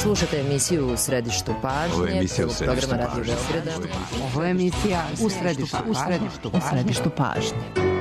Slušate emisiju U središtu pažnje. Ovo je emisija U središtu pažnje. Ovo je emisija U središtu pažnje.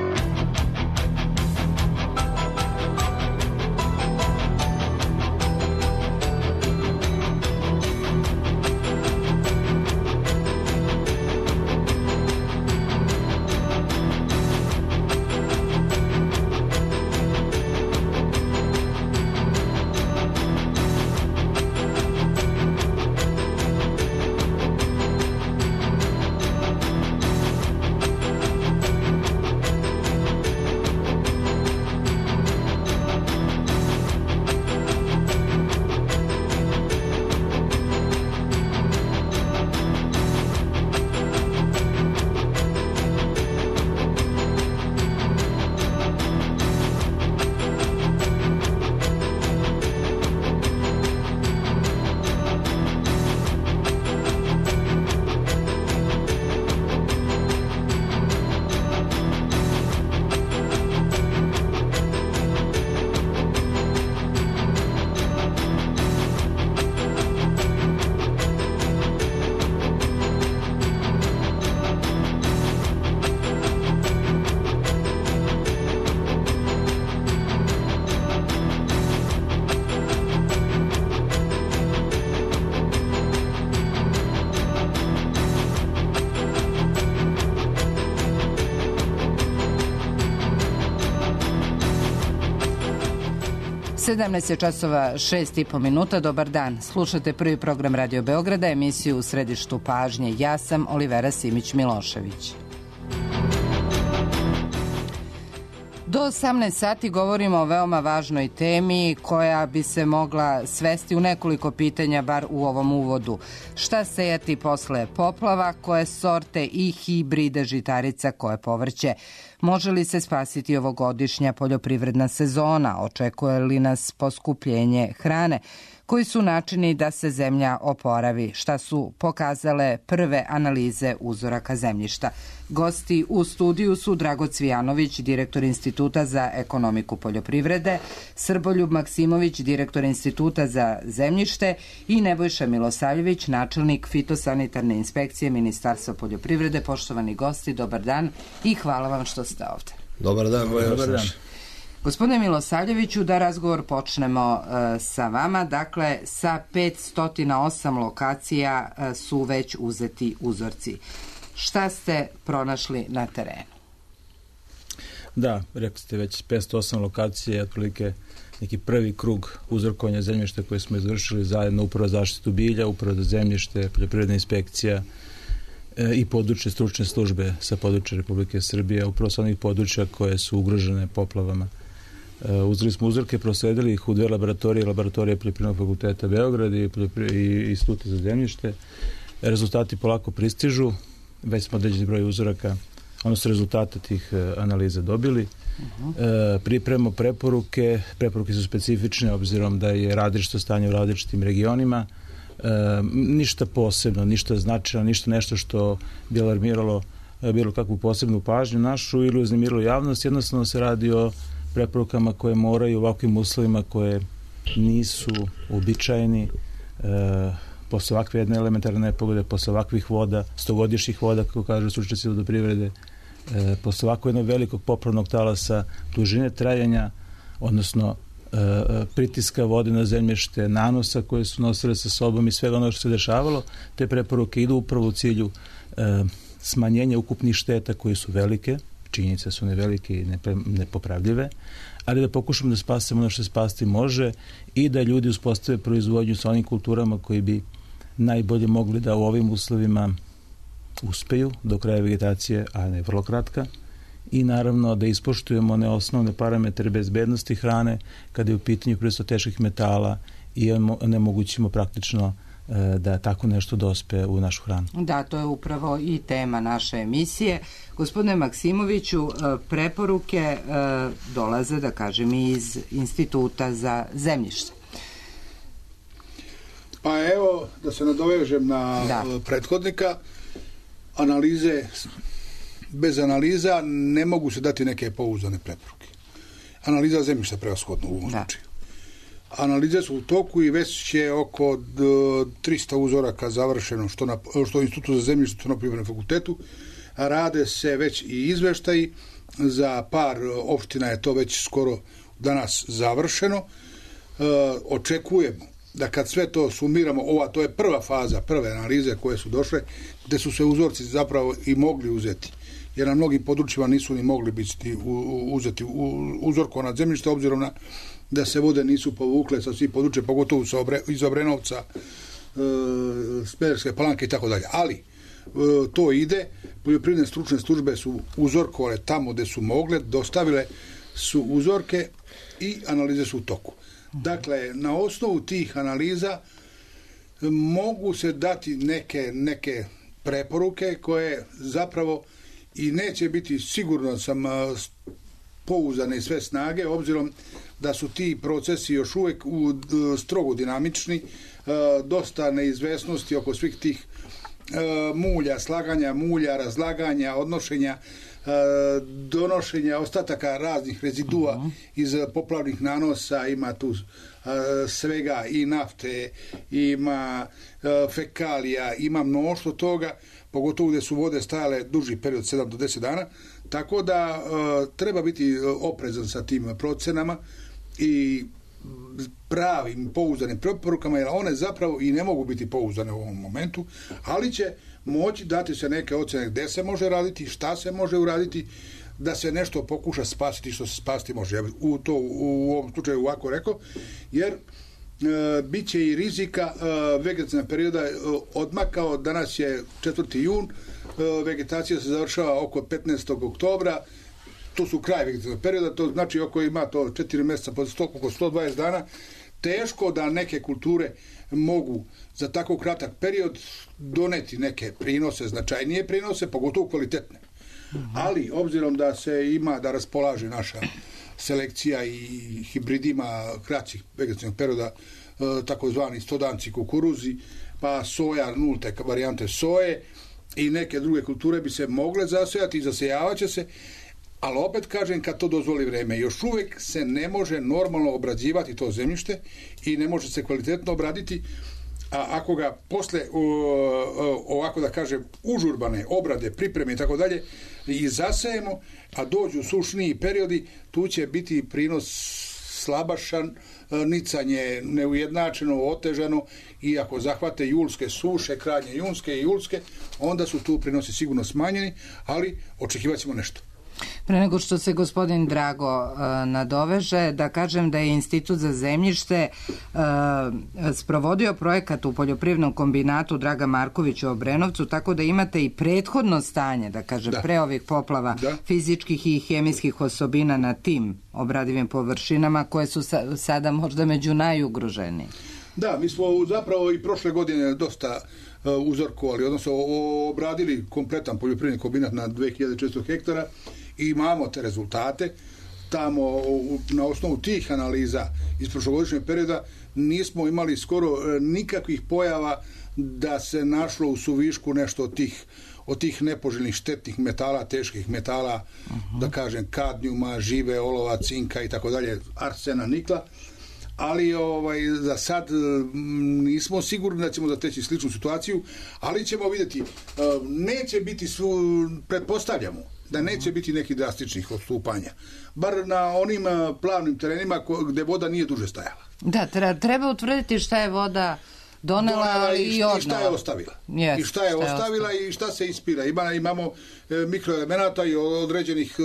časova 6:30. Dobar dan. Slušate prvi program Radio Beograda, emisiju U središtu pažnje. Ja sam Olivera Simić-Milošević. Do 18 sati govorimo o veoma važnoj temi koja bi se mogla svesti u nekoliko pitanja, bar u ovom uvodu. Šta sejati posle poplava, koje sorte i hibride žitarica, koje povrće? Može li se spasiti ovogodišnja poljoprivredna sezona? Očekuje li nas poskupljenje hrane? Koji su načini da se zemlja oporavi? Šta su pokazale prve analize uzoraka zemljišta? Gosti u studiju su Drago Cvijanović, direktor Instituta za ekonomiku poljoprivrede, Srboljub Maksimović, direktor Instituta za zemljište i Nebojša Milosavljević, načelnik fitosanitarne inspekcije Ministarstva poljoprivrede. Poštovani gosti, dobar dan i hvala vam što ste ovde. Dobar dan, dobar dan. Gospodine Milosavljeviću, da razgovor počnemo sa vama. Dakle, sa 508 lokacija su već uzeti uzorci. Šta ste pronašli na terenu? Da, rekli ste već 508 lokacije, otprilike neki prvi krug uzorkovanja zemljišta koji smo izvršili zajedno Uprava za zaštitu bilja, Uprava za zemljište, Poljoprivredna inspekcija i područne stručne službe sa područja Republike Srbije, upravo sa onih područja koje su ugrožene poplavama. Uzeli smo uzorke, prosledili ih u dve laboratorije, laboratorije Poljoprivrednog fakulteta Beograd i Instituta za zemljište. Rezultati polako pristižu, već smo određeni broj uzoraka, odnosno rezultate tih analiza dobili. Pripremamo preporuke su specifične obzirom da je različito stanje u različitim regionima. Ništa posebno, ništa značajno, ništa nešto što bi alarmiralo bilo kakvu posebnu pažnju našu ili uznemirilo javnost. Jednostavno se radi o preporukama koje moraju u ovakvim uslovima koje nisu uobičajeni posle ovakve jedne elementarne nepogode, posle ovakvih voda, 100-godišnjih voda, kako kažu stručnjaci vodoprivrede, posle ovako jednog velikog poplavnog talasa, dužine trajanja, odnosno pritiska vode na zemljište, nanosa koje su nosile sa sobom i svega ono što se dešavalo, te preporuke idu upravo u cilju smanjenja ukupnih šteta koji su velike, činjenice su nevelike i nepopravljive, ali da pokušamo da spasemo ono što se spasti može i da ljudi uspostave proizvodnju sa onim kulturama koji bi najbolje mogli da u ovim uslovima uspeju do kraja vegetacije, a ne vrlo kratka, i naravno da ispoštujemo one osnovne parametre bezbednosti hrane kada je u pitanju prisustvo teških metala i onemogućimo praktično da tako nešto dospe u našu hranu. Da, to je upravo i tema naše emisije. Gospodine Maksimoviću, preporuke dolaze, da kažem, iz Instituta za zemljište. Pa evo, da se nadovežem na prethodnika, analize, bez analiza ne mogu se dati neke pouzdane preporuke. Analiza zemljišta prevashodno u ovom slučaju. Analize su u toku i već je oko 300 uzoraka završeno, što u Institutu za zemljište, što na Poljoprivrednom fakultetu. Rade se već i izveštaji, za par opština je to već skoro danas završeno. Očekujemo da kad sve to sumiramo, to je prva faza, prve analize koje su došle, gde su se uzorci zapravo i mogli uzeti, jer na mnogim područjima nisu ni mogli biti uzeti uzorkovana zemljišta, obzirom na da se vode nisu povukle sa svih područja, pogotovo iz Obrenovca, Smederevske Palanke i tako dalje. Ali to ide, poljoprivredne stručne službe su uzorkovale tamo gde su mogle, dostavile su uzorke i analize su u toku. Dakle, na osnovu tih analiza mogu se dati neke preporuke koje zapravo i neće biti, sigurno sam, pouzdane sve snage, obzirom da su ti procesi još uvek strogo dinamični, dosta neizvesnosti oko svih tih mulja, slaganja mulja, razlaganja, odnošenja, donošenja ostataka raznih rezidua iz poplavnih nanosa, ima tu svega i nafte, ima fekalija, ima mnoštvo toga, pogotovo gde su vode stajale duži period, 7 do 10 dana, tako da treba biti oprezan sa tim procenama i pravim pouzdanim preporukama, jer one zapravo i ne mogu biti pouzdane u ovom momentu, ali će moći dati se neke ocene gde se može raditi, šta se može uraditi, da se nešto pokuša spasiti što se spasiti može. Ja bih u ovom slučaju ovako rekao, jer bit će i rizika vegetacijna perioda odmakao, danas je 4. jun, vegetacija se završava oko 15. oktobra, to su kraj vegetacijnog perioda, to znači oko ima to 4 mjeseca, oko 120 dana, teško da neke kulture mogu za tako kratak period doneti neke prinose, značajnije prinose, pogotovo kvalitetne. Ali, obzirom da se ima, da raspolaže naša selekcija i hibridima kraćih vegetacijnog perioda, takozvani stodanci kukuruzi, pa soja, nulte varijante soje i neke druge kulture bi se mogle zasejati i zasejavaće se, ali opet kažem, kad to dozvoli vreme, još uvek se ne može normalno obrađivati to zemljište i ne može se kvalitetno obraditi, a ako ga posle ovako da kažem užurbane obrade, pripreme i tako dalje i zasejemo, a dođu sušniji periodi, tu će biti prinos slabašan, nicanje neujednačeno, otežano, i ako zahvate julske suše, krajnje junske i julske, onda su tu prinosi sigurno smanjeni, ali očekivat ćemo nešto. Pre nego što se gospodin Drago nadoveže, da kažem da je Institut za zemljište sprovodio projekat u poljoprivrednom kombinatu Draga Marković u Obrenovcu, tako da imate i prethodno stanje, da kažem, pre ovih poplava, fizičkih i hemijskih osobina na tim obradivim površinama koje su sada možda među najugroženiji. Da, mi smo zapravo i prošle godine dosta uzorkovali, odnosno obradili kompletan poljoprivredni kombinat na 2400 hektara i imamo te rezultate. Tamo na osnovu tih analiza iz prošlogodišnjeg perioda nismo imali skoro nikakvih pojava da se našlo u suvišku nešto od tih nepoželjnih štetnih metala, teških metala, da kažem kadnijuma, žive, olova, cinka i tako dalje, arsena, nikla. Ali za sad nismo sigurni da ćemo zateći sličnu situaciju, ali ćemo vidjeti, neće biti, pretpostavljamo da neće biti nekih drastičnih odstupanja, bar na onim plavnim terenima gde voda nije duže stajala. Da, treba utvrditi šta je voda donela i odnala. I šta je ostavila. I šta je ostavila i šta se ispira. Imamo mikroelemenata i određenih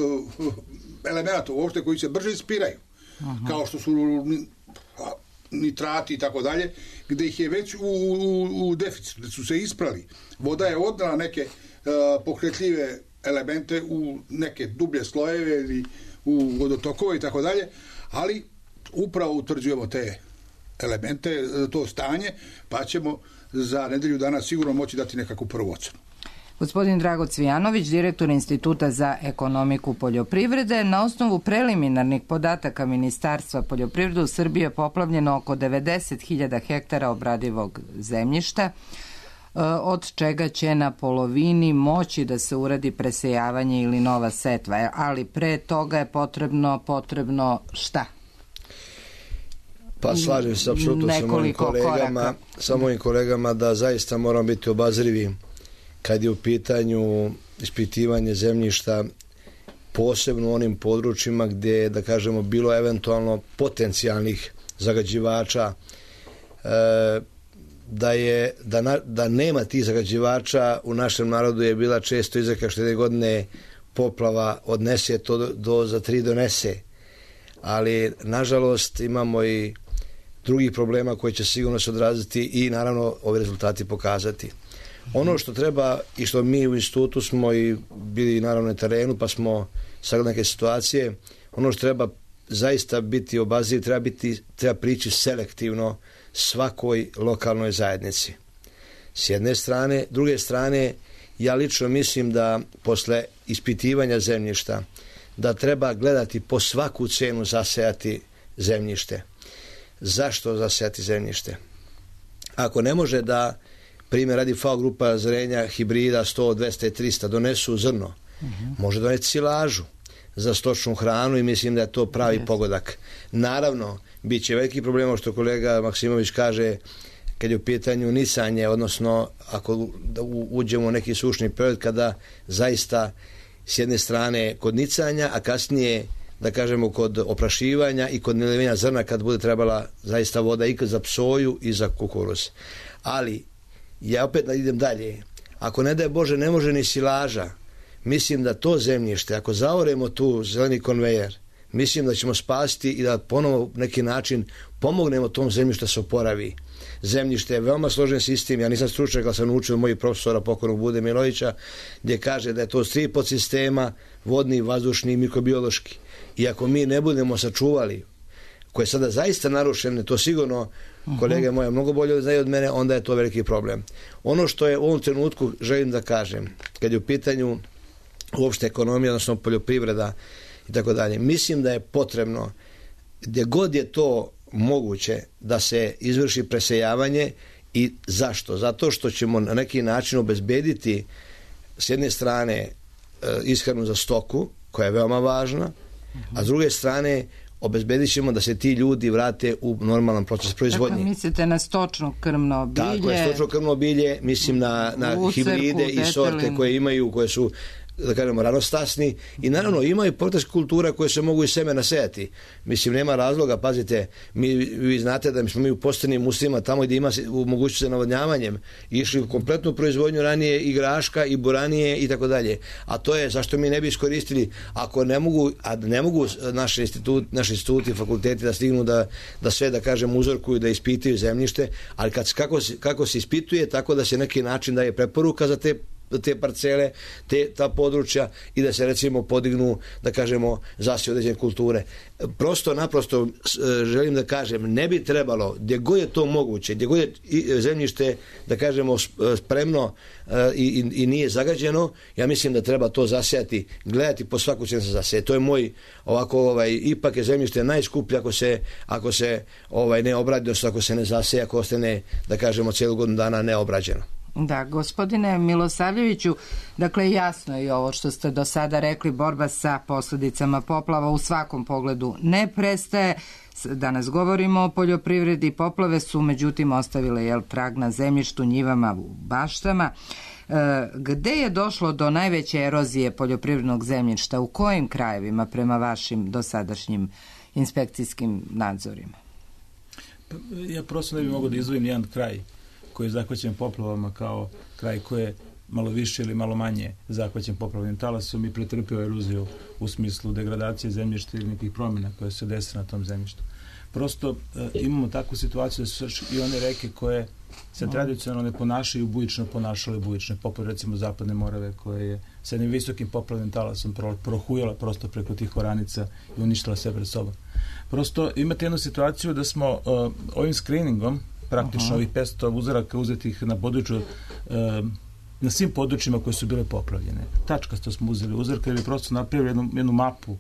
elemenata uopšte koji se brže ispiraju, kao što su nitrati i tako dalje, gde ih je već u deficitu, gde su se isprali. Voda je odnala neke pokretljive elemente u neke dublje slojeve ili u vodotokove i tako dalje, ali upravo utvrđujemo te elemente, to stanje, pa ćemo za nedelju dana sigurno moći dati nekakvu prvu ocenu. Gospodin Drago Cvijanović, direktor Instituta za ekonomiku poljoprivrede, na osnovu preliminarnih podataka Ministarstva poljoprivrede u Srbiji je poplavljeno oko 90.000 hektara obradivog zemljišta, od čega će na polovini moći da se uradi presejavanje ili nova setva, ali pre toga je potrebno šta? Pa slažem se apsolutno sa mojim kolegama da zaista moramo biti obazrivi kad je u pitanju ispitivanje zemljišta, posebno u onim područjima gdje, da kažemo, bilo eventualno potencijalnih zagađivača, da nema tih zagađivača. U našem narodu je bila često izreka što jedne godine poplava odnese, to za 3 donese. Ali, nažalost, imamo i drugih problema koji će sigurno se odraziti i, naravno, ovi rezultati pokazati. Ono što treba i što mi u institutu smo i bili, naravno, na terenu, pa smo sagledali neke situacije, ono što treba zaista biti obazriv, treba prići selektivno svakoj lokalnoj zajednici. S jedne strane, druge strane, ja lično mislim da posle ispitivanja zemljišta da treba gledati po svaku cenu zasejati zemljište. Zašto zasejati zemljište? Ako ne može da, primjer radi FAO grupa zrenja hibrida 100, 200 i 300 donesu zrno, može doneti silažu za stočnu hranu i mislim da je to pravi pogodak. Naravno, bit će veliki problem, što kolega Maksimović kaže, kad je u pitanju nicanje, odnosno ako uđemo u neki sušni period kada zaista s jedne strane kod nicanja, a kasnije, da kažemo, kod oprašivanja i kod nalivenja zrna kad bude trebala zaista voda i za psoju i za kukuruz. Ali, ja opet idem dalje. Ako ne daj Bože ne može ni silaža, mislim da to zemljište, ako zaoremo tu zeleni konvejer, mislim da ćemo spasiti i da ponovo neki način pomognemo tom zemljištu da se oporavi. Zemljište je veoma složen sistem, ja nisam stručnjak, ali sam naučio od mojih profesora pokojnog Bude Milovića, gdje kaže da je to 3 podsistema, vodni, vazdušni i mikrobiološki. I ako mi ne budemo sačuvali, koje je sada zaista narušene, to sigurno kolege moje mnogo bolje znaju od mene, onda je to veliki problem. Ono što je u ovom trenutku želim da kažem, kad je u pitanju uopšte ekonomija, odnosno poljoprivreda i tako dalje, mislim da je potrebno, gdje god je to moguće, da se izvrši presejavanje. I zašto? Zato što ćemo na neki način obezbediti s jedne strane ishranu za stoku, koja je veoma važna, a s druge strane obezbedit ćemo da se ti ljudi vrate u normalan proces proizvodnje. Dakle, mislite na stočno krmno bilje? Tako je, stočno krmno bilje, mislim na hibride i sorte koje imaju, koje su, da kažemo, ranostasni i naravno imaju portaških kultura koje se mogu i semena sejati. Mislim, nema razloga, pazite, vi znate da smo mi u postenim uslovima tamo gdje ima mogućnost za navodnjavanjem išli u kompletnu proizvodnju ranije i graška i buranije i tako dalje. A to je zašto mi ne bi iskoristili, ako ne mogu, a ne mogu naši instituti, fakulteti da stignu da sve, da kažem, uzorkuju, da ispitaju zemljište, ali kako se ispituje, tako da se neki način daje preporuka za te parcele, ta područja i da se recimo podignu, da kažemo, zasije određene kulture. Prosto, naprosto želim da kažem, ne bi trebalo, gdje god je to moguće, gdje god je zemljište, da kažemo, spremno i nije zagađeno, ja mislim da treba to zasijati, gledati po svaku cenu se zaseje. To je moj, ovako, ipak je zemljište najskuplje ako se ne obradi, ako se ne zaseje, ako ostane, da kažemo, cijelu godinu dana neobrađeno. Da, gospodine Milosavljeviću, dakle jasno je i ovo što ste do sada rekli, borba sa posljedicama poplava u svakom pogledu ne prestaje. Danas govorimo o poljoprivredi, poplave su međutim ostavile trag na zemljištu, njivama, u baštama. Gde je došlo do najveće erozije poljoprivrednog zemljišta? U kojim krajevima prema vašim dosadašnjim inspekcijskim nadzorima? Ja prosto ne bih mogao da izdvojim jedan kraj koji je zahvaćen poplavama kao kraj koji je malo više ili malo manje zahvaćen poplavnim talasom i pretrpio eroziju u smislu degradacije zemljišta ili nekih promjena koje se dese na tom zemljištu. Prosto imamo takvu situaciju da su i one reke koje se tradicionalno ne ponašaju bujično, ponašale bujično, poput recimo Zapadne Morave koja je sa jednim visokim poplavnim talasom prohujala prosto preko tih oranica i uništila sve pred sobom. Prosto imate jednu situaciju da smo ovim screeningom praktično ovih 500 uzoraka uzetih na području, na svim područjima koje su bile poplavljene. Tačkasto smo uzeli uzorke ili prosto napravili jednu mapu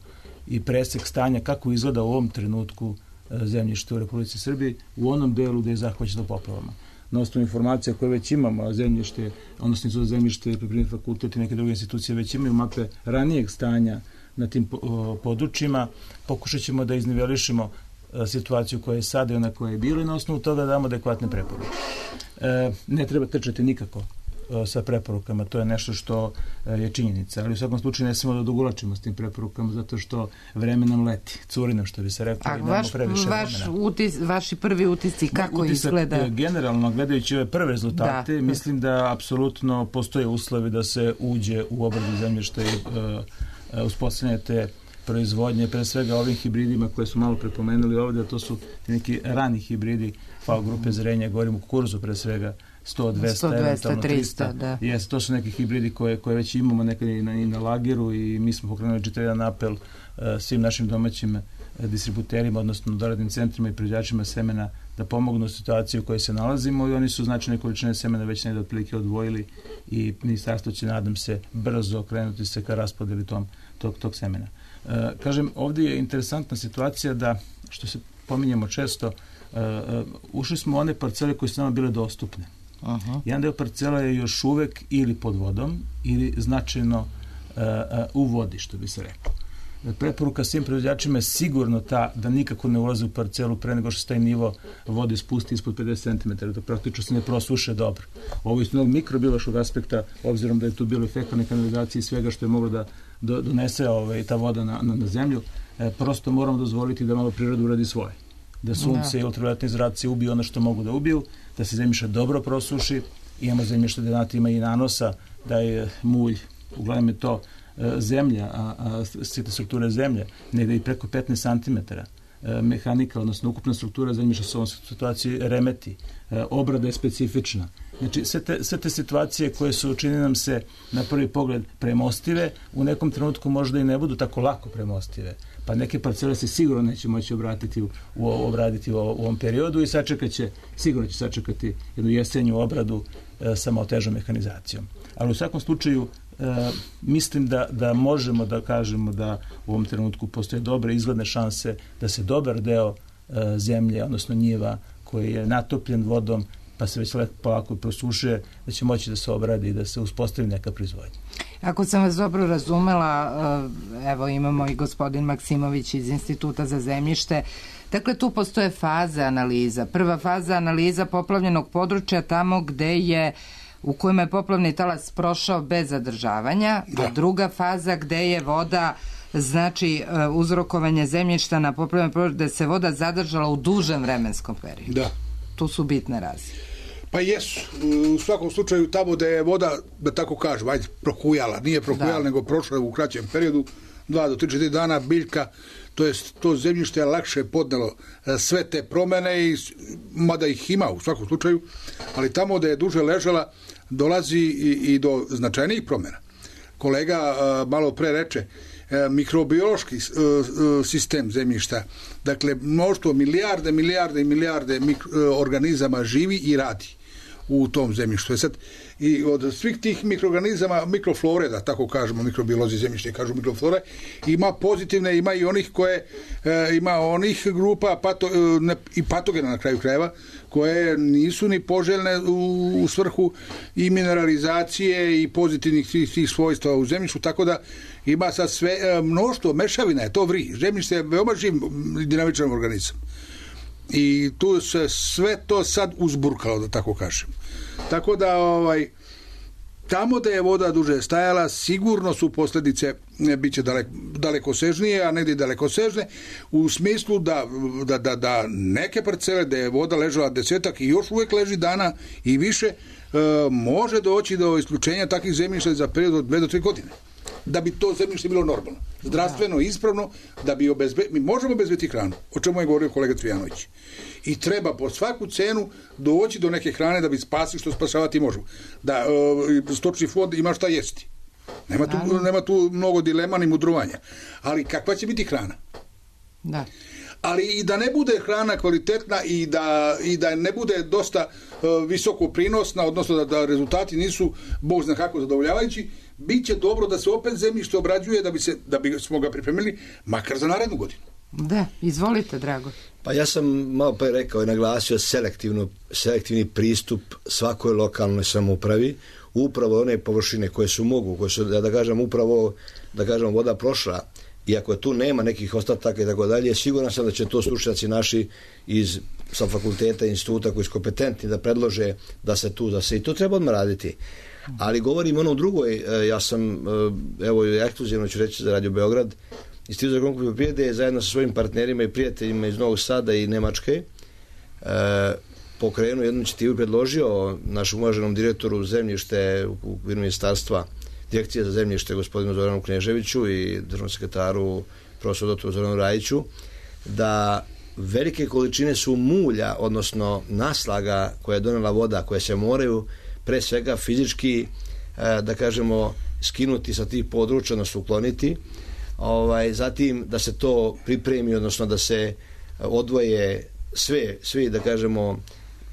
i presek stanja kako izgleda u ovom trenutku zemljište u Republici Srbiji u onom delu gdje je zahvaćeno poplavama. Na osnovu informacija koje već imamo, a zemljište, odnosno za zemljište, Prirodni fakultet i neke druge institucije već imaju mape ranijeg stanja na tim područjima, pokušat ćemo da iznivelišemo situaciju koja je sada i ona koja je bila i na osnovu toga damo adekvatne preporuke. Ne treba trčati nikako sa preporukama, to je nešto što je činjenica, ali u svakom slučaju ne smemo da dogulačimo s tim preporukama zato što vreme nam leti, curi nam, što bi se reklo, i nemamo previše vremena. Vaši prvi utisci, kako izgleda? Generalno, gledajući ove prve rezultate, mislim da apsolutno postoje uslovi da se uđe u obradu zemljišta i uspostavljanje te proizvodnje, pre svega ovim hibridima koje su malo prepomenuli ovdje, to su neki rani hibridi FAO grupe zrenja, govorimo o kukurzu pre svega, 100, 200, eventualno 300. Da. Yes, to su neki hibridi koje već imamo nekad i na lageru i mi smo pokrenuli čitav jedan apel svim našim domaćim distributerima, odnosno doradnim centrima i proizvođačima semena da pomognu situaciju u kojoj se nalazimo i oni su značajne količine semena već negdje otprilike odvojili i ministarstvo će, nadam se, brzo krenuti se ka raspodeli tog semena. Kažem, ovdje je interesantna situacija da, što se pominjemo često, ušli smo u one parcele koje su nama bile dostupne. Jedan deo parcela je još uvek ili pod vodom ili značajno u vodi, što bi se reklo. Preporuka svim proizvođačima je sigurno ta da nikako ne ulaze u parcelu pre nego što se taj nivo vode spusti ispod 50 cm, da praktično se ne prosuše dobro. Ovo je iz mikrobiološkog aspekta, obzirom da je tu bilo i fekalne kanalizacije i svega što je moglo da donese ta voda na zemlju, prosto moramo dozvoliti da malo priroda uradi svoje. Da sunce i ultravioletni zraci ubiju ono što mogu da ubiju, da se zemljište dobro prosuši, imamo zemljište da ima i nanosa, da je mulj, uglavnom je to zemlja, a sitne strukture zemlje, negde i preko 15 cm. Mehanika, odnosno ukupna struktura zemljišta se u ovom situaciji remeti. Obrada je specifična. Znači, sve te situacije koje su, čini nam se, na prvi pogled premostive, u nekom trenutku možda i ne budu tako lako premostive. Pa neke parcele se sigurno neće moći obraditi u ovom periodu i sigurno će sačekati jednu jesenju obradu sa malo težom mehanizacijom. Ali u svakom slučaju mislim da možemo da kažemo da u ovom trenutku postoje dobre izgledne šanse da se dobar deo zemlje, odnosno njiva koji je natopljen vodom pa se već polako prosušuje, da će moći da se obradi i da se uspostavi neka proizvodnja. Ako sam vas dobro razumela, evo imamo i gospodin Maksimović iz Instituta za zemljište. Dakle, tu postoje faze analiza. Prva faza analiza poplavljenog područja tamo u kojima je poplavni talas prošao bez zadržavanja, a druga faza gde je voda, znači uzrokovanje zemljišta na poplavljenom području, gde se voda zadržala u dužem vremenskom periodu. Da. Tu su bitne razlike. Pa jesu. U svakom slučaju tamo da je voda, da tako kažem, prokujala. Nije prokujala, nego prošla u kraćem periodu, 2 do 3-4 dana biljka, to zemljište je lakše podnelo sve te promene, mada ih ima u svakom slučaju, ali tamo da je duže ležala dolazi i do značajnijih promjena. Kolega malo pre reče, mikrobiološki sistem zemljišta, dakle mnoštvo milijarde organizama živi i radi u tom zemljištu. Sad, i od svih tih mikroorganizama, mikroflore, da tako kažemo, mikrobiolozi zemljište kažu mikroflore, ima pozitivne, ima i onih ima onih grupa i patogena na kraju krajeva, koje nisu ni poželjne u svrhu i mineralizacije i pozitivnih tih svojstva u zemljištu, tako da ima sad sve mnoštvo, mešavina je to vri. Zemljište je veoma živ dinamičan organizam. I tu se sve to sad uzburkalo, da tako kažem. Tako da tamo da je voda duže stajala, sigurno su posljedice biće dalekosežnije, a negdje dalekosežne, u smislu da neke parcele da je voda ležala 10 i još uvijek leži dana i više, može doći do isključenja takvih zemljišta za period od 2 do 3 godine. Da bi to zemljište bilo normalno, zdravstveno, ispravno, da bi mi možemo obezbediti hranu, o čemu je govorio kolega Cvijanović. I treba po svaku cenu doći do neke hrane da bi spasili što spasavati možemo. Da stočni fond ima šta jesti. Nema tu mnogo dilema ni mudrovanja. Ali kakva će biti hrana? Da. Ali i da ne bude hrana kvalitetna i da ne bude dosta visoko prinosna, odnosno da rezultati nisu bog zna kako zadovoljavajući, bit će dobro da se opet zemljište obrađuje da bi smo ga pripremili makar za narednu godinu. Da, izvolite, Drago. Pa ja sam malo pre rekao i naglasio selektivni pristup svakoj lokalnoj samoupravi, upravo one površine koje su da kažem voda prošla iako tu nema nekih ostataka i tako dalje, siguran sam da će to stručnjaci naši sa fakulteta i instituta koji su kompetentni da predlože da se i to treba odmah raditi. Ali govorim ono drugoj, ja sam, evo ekskluzivno ću reći za Radio Beograd, Institut za agronomsku poljoprivredu zajedno sa svojim partnerima i prijateljima iz Novog Sada i Nemačke pokrenuo jednu inicijativu i predložio našem uvaženom direktoru zemljište u okviru ministarstva, direkcije za zemljište gospodinu Zoranu Kneževiću i državnom sekretaru profesoru dr. Zoranu Rajiću, da velike količine su mulja, odnosno naslaga koje je donela voda, koje se moraju pre svega fizički, da kažemo, skinuti sa tih područja, odnosno ukloniti, zatim da se to pripremi, odnosno da se odvoje svi, da kažemo,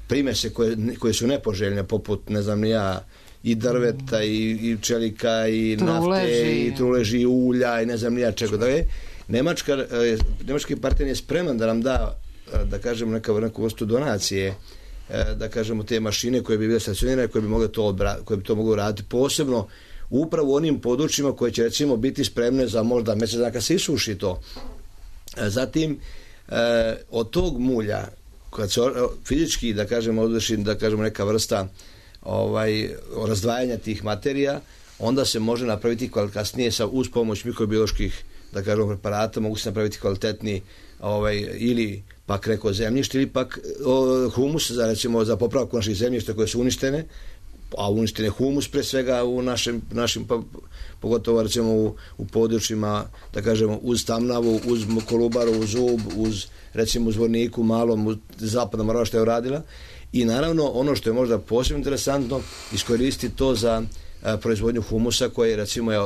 primese koje su nepoželjne, poput, ne znam ni ja, i drveta, i čelika, i nafte, i truleži, i ulja, i ne znam ni ja čega. Nemački partner je spreman da nam da kažemo, neku vrstu donacije, da kažemo, te mašine koje bi bile stacionirane, koje bi to moglo raditi, posebno upravo u onim područjima koje će, recimo, biti spremne za možda mjesec dana kad se isuši to. Zatim, od tog mulja, kad se fizički, da kažemo, odvrši, da kažemo, neka vrsta razdvajanja tih materija, onda se može napraviti kasnije uz pomoć mikrobioloških, da kažemo, preparata, mogu se napraviti kvalitetni ili pak neko zemljište, ili pak humus za popravku naših zemljišta koje su uništene, a uništen je humus pre svega u našim pogotovo recimo u područjima, da kažemo, uz Tamnavu, uz Kolubaru, uz Ub, recimo uz Zvorniku, malom, zapadna Morava što je uradila. I naravno ono što je možda posebno interesantno, iskoristiti to za proizvodnju humusa koje, recimo, je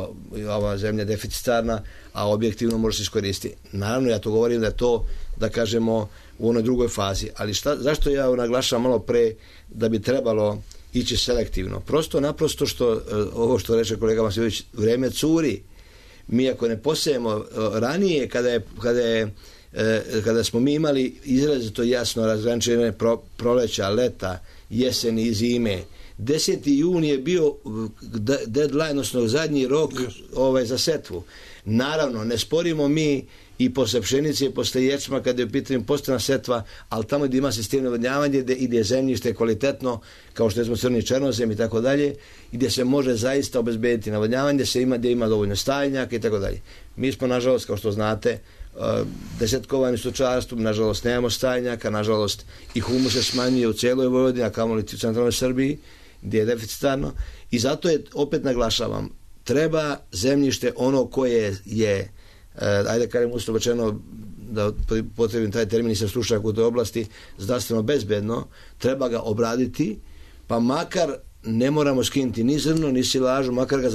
ova zemlja deficitarna, a objektivno može se iskoristiti. Naravno, ja to govorim da je to, da kažemo, u onoj drugoj fazi. Ali zašto ja naglašavam malo pre da bi trebalo ići selektivno? Naprosto ovo što reče kolega Vasiljević, vreme curi. Mi ako ne posejemo ranije, kada smo mi imali izrazito jasno razgraničenje proleća, leta, jeseni i zime, 10. jun je bio deadline, odnosno zadnji rok za setvu. Naravno, ne sporimo mi i posle pšenice i posle ječma kada je u pitanju postana setva, ali tamo gdje ima sistem navodnjavanja i gdje je zemljište kvalitetno, kao što smo crni černozem i tako dalje, gdje se može zaista obezbediti navodnjavanje, gdje ima dovoljno stajnjaka i tako dalje. Mi smo, nažalost, kao što znate, desetkovani stočarstvom, nažalost nemamo stajnjaka, nažalost i humus se smanjuje u cijeloj Vojvodini, a kamoli u centralnoj Srbiji, gdje je deficitarno, i zato je, opet naglašavam, treba zemljište ono koje je, ajde kažem uslovno rečeno, da potrebim taj termin, nisam stručnjak u toj oblasti, zdravstveno bezbedno, treba ga obraditi, pa makar ne moramo skinuti ni zrno, ni silažu, makar ga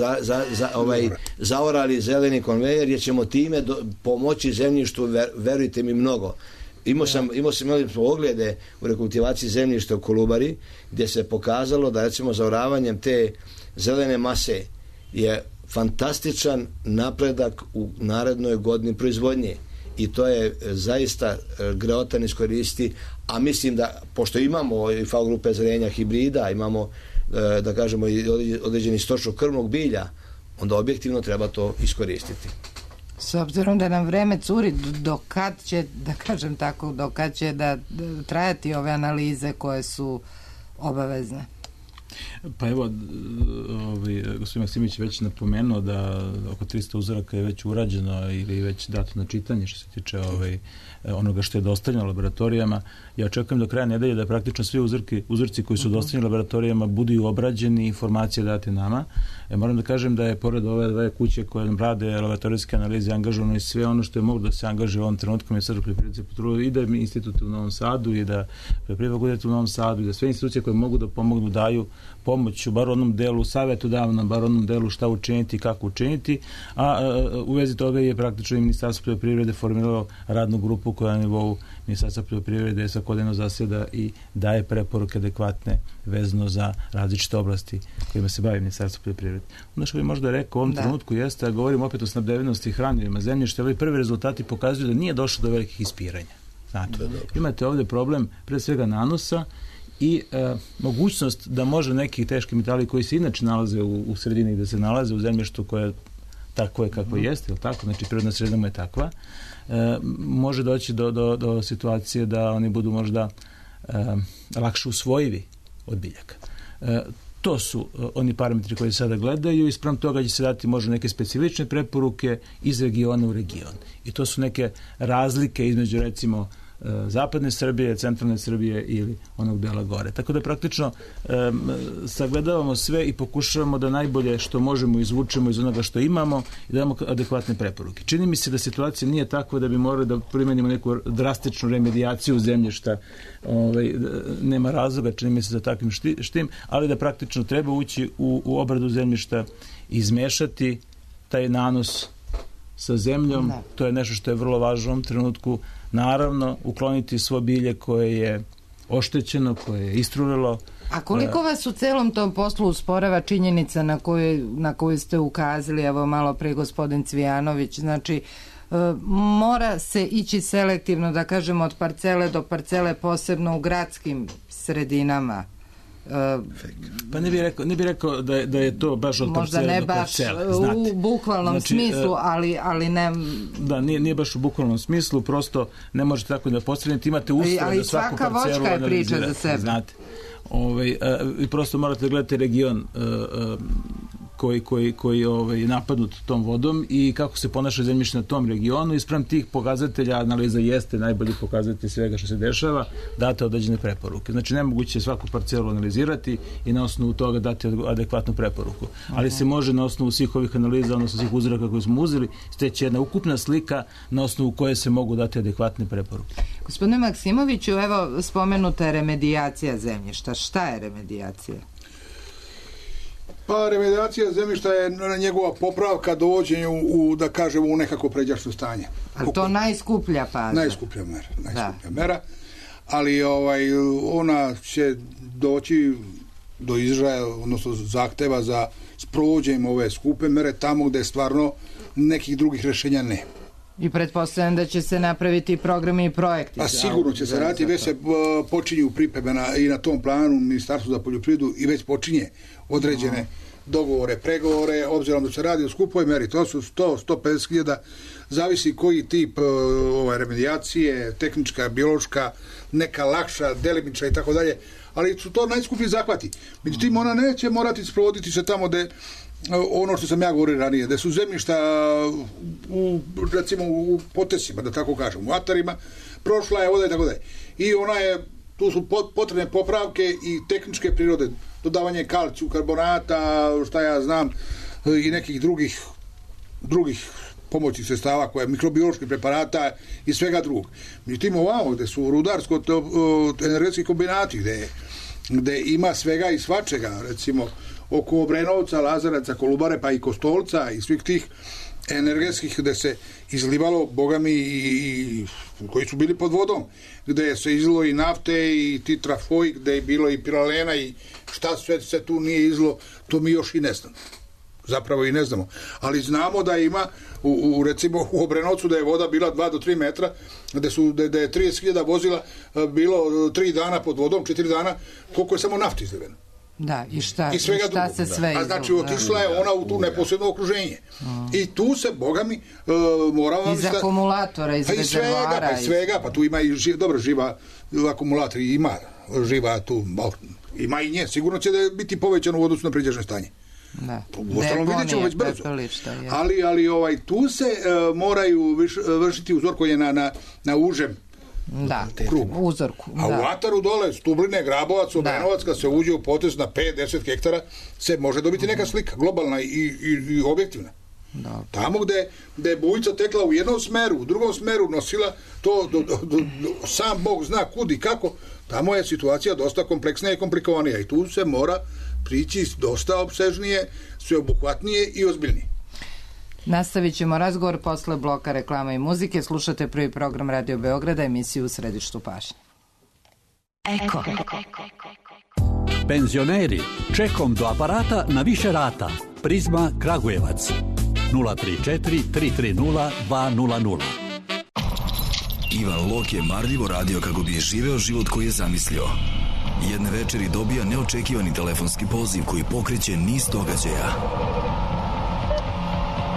zaorali zeleni konvejer, jer ćemo time pomoći zemljištu, verujte mi, mnogo. Imali smo oglede u rekultivaciji zemljišta u Kolubari, gdje se pokazalo da, recimo, zaoravanjem te zelene mase je fantastičan napredak u narednoj godini proizvodnje. I to je zaista greotan iskoristi, a mislim da, pošto imamo i FAO grupe zrenja hibrida, imamo, da kažemo, i određeni stočno krvnog bilja, onda objektivno treba to iskoristiti. S obzirom da nam vreme curi, dokad će, da kažem tako, dokad će da trajati ove analize koje su obavezne? Pa evo, gospodin Maksimović je već napomenuo da oko 300 uzoraka je već urađeno ili već dato na čitanje što se tiče onoga što je dostavljeno laboratorijama. Ja očekujem do kraja nedelje da praktično svi uzorci koji su dostavljeni laboratorijama budu obrađeni i informacije date nama. Moram da kažem da je pored ove dve kuće koje nam rade laboratorijske analize angažovano i sve ono što je moglo da se angažuje u ovom trenutku Ministarstvo poljoprivrede potrudio, i da institut u Novom Sadu, i da poljoprivredna fakulteta u Novom Sadu, i da sve institucije koje mogu da pomognu daju pomoć u bar onom delu, savjetodavno, bar onom delu šta učiniti i kako učiniti, a u vezi toga je praktično i Ministarstvo poljoprivrede formiralo radnu grupu koja na nivou Ministarstva poljoprivrede svakodnevno zasjeda i daje preporuke adekvatne vezano za različite oblasti kojima se bavi Ministarstvo poljoprivrede. Ono što bi možda rekao u ovom trenutku jeste, da govorim opet o snabdevenosti hranivima zemljišta, ali prvi rezultati pokazuju da nije došlo do velikih ispiranja. Znate, imate ovdje problem pre svega nanosa i mogućnost da može neki teški metali koji se inače nalaze u sredini gde se nalaze u zemljištu koje takvo je kako jeste, ili tako, znači prirodna sredina mu je takva, može doći do situacije da oni budu možda lakše usvojivi od biljaka. To su oni parametri koji sada gledaju i spram toga će se dati možda neke specifične preporuke iz regiona u region. I to su neke razlike između recimo zapadne Srbije, centralne Srbije ili onog dela gore. Tako da praktično sagledavamo sve i pokušavamo da najbolje što možemo izvučemo iz onoga što imamo i damo adekvatne preporuke. Čini mi se da situacija nije takva da bi morali da primenimo neku drastičnu remedijaciju zemljišta. Nema razloga, čini mi se za takvim štim, ali da praktično treba ući u obradu zemljišta, izmešati taj nanos sa zemljom. To je nešto što je vrlo važno u ovom trenutku. Naravno, ukloniti svo bilje koje je oštećeno, koje je istrulilo. A koliko vas u celom tom poslu usporava činjenica na koju ste ukazali, evo malo pre gospodin Cvijanović, znači mora se ići selektivno, da kažemo, od parcele do parcele, posebno u gradskim sredinama. Pa ne bi rekao da je to baš od parcele do parcele. Možda ne baš u bukvalnom smislu, ali ne... Da, nije baš u bukvalnom smislu, prosto ne možete tako da postavljate, imate uslov da svaku parcelu analizirate. Ali svaka voćka je priča za sebe. Znate. I prosto morate da gledate region koji je napadnut tom vodom i kako se ponaša zemljište na tom regionu i spram tih pokazatelja, analiza jeste najbolji pokazatelj svega što se dešava, date određene preporuke. Znači nemoguće svaku parcelu analizirati i na osnovu toga dati adekvatnu preporuku. Ali se može na osnovu svih ovih analiza, odnosno svih uzoraka koje smo uzeli, steći jedna ukupna slika na osnovu koje se mogu dati adekvatne preporuke. Gospodine Maksimoviću, evo spomenuta je remedijacija zemljišta. Šta je remedijacija? Pa remedijacija zemljišta je njegova popravka, dovođenje da kažemo, u nekako pređašno stanje. Ali to najskuplja faza? Najskuplja mera. Ali ona će doći do izražaja, odnosno zahteva za sprovođenjem ove skupe mere tamo gde stvarno nekih drugih rešenja ne. I pretpostavljam da će se napraviti programi i projekti. A sigurno će se raditi, već se počinju pripreme i na tom planu Ministarstvo za poljoprivredu i već počinje određene dogovore, pregovore, obzirom da se radi o skupoj meri, to su 100-150 hiljada, zavisi koji tip remedijacije, tehnička, biološka, neka lakša, delimična i tako dalje, ali su to najskuplji zahvati. Međutim, ona neće morati sprovoditi se tamo gde ono što sam ja govorio ranije, gde su zemljišta recimo u potesima, da tako kažem, u atarima, prošla je voda i tako dalje. I tu su potrebne popravke i tehničke prirode, dodavanje kalciju, karbonata, šta ja znam, i nekih drugih pomoćnih sredstava, koje mikrobioloških preparata i svega drugog. Međutim, ovamo gde su rudarsko-energetski kombinati, gde ima svega i svačega, recimo oko Obrenovca, Lazaraca, Kolubare, pa i Kostolca i svih tih energetskih gde se izlivalo, bogami, i koji su bili pod vodom, gde se izlilo i nafte i titrafoj, gde je bilo i piralena i šta sve se tu nije izlilo, to mi još i ne znamo. Zapravo i ne znamo. Ali znamo da ima, recimo u Obrenovcu, da je voda bila 2 do 3 metra, da je 30.000 vozila bilo 3 dana pod vodom, 4 dana, koliko je samo nafti izliveno. Da, i šta se sve izlilo. A znači, otišla je ona u tu neposredno okruženje. I tu se, bogami, moramo... Iz akumulatora, iz rezervoara. Pa svega, pa tu ima i živa akumulator, ima živa tu, ima i nje. Sigurno će da biti povećano u odnosu na priđašnje stanje. Uostalom vidjet ćemo već brzo. Ali tu se moraju vršiti uzorkovanje na užem uzorku. A u ataru dole, Stubline, Grabovac, Obrenovac, kad se uđe u potez na 5-10 hektara, se može dobiti neka slika, globalna i objektivna. Tamo gde je bujica tekla u jednom smeru, u drugom smeru nosila to, sam Bog zna kud i kako, tamo je situacija dosta kompleksnija i komplikovanija i tu se mora prići dosta opsežnije, sveobuhvatnije i ozbiljnije. Nastavit ćemo razgovor posle bloka reklama i muzike. Slušate prvi program Radio Beograda, emisiju U središtu pažnje. Eko. Penzioneri, čekom do aparata na više rata. Prizma Kragujevac 034 330 200. Ivan Lok je marljivo radio kako bi živeo život koji je zamislio. Jedne večeri dobija neočekivani telefonski poziv koji pokreće niz događaja.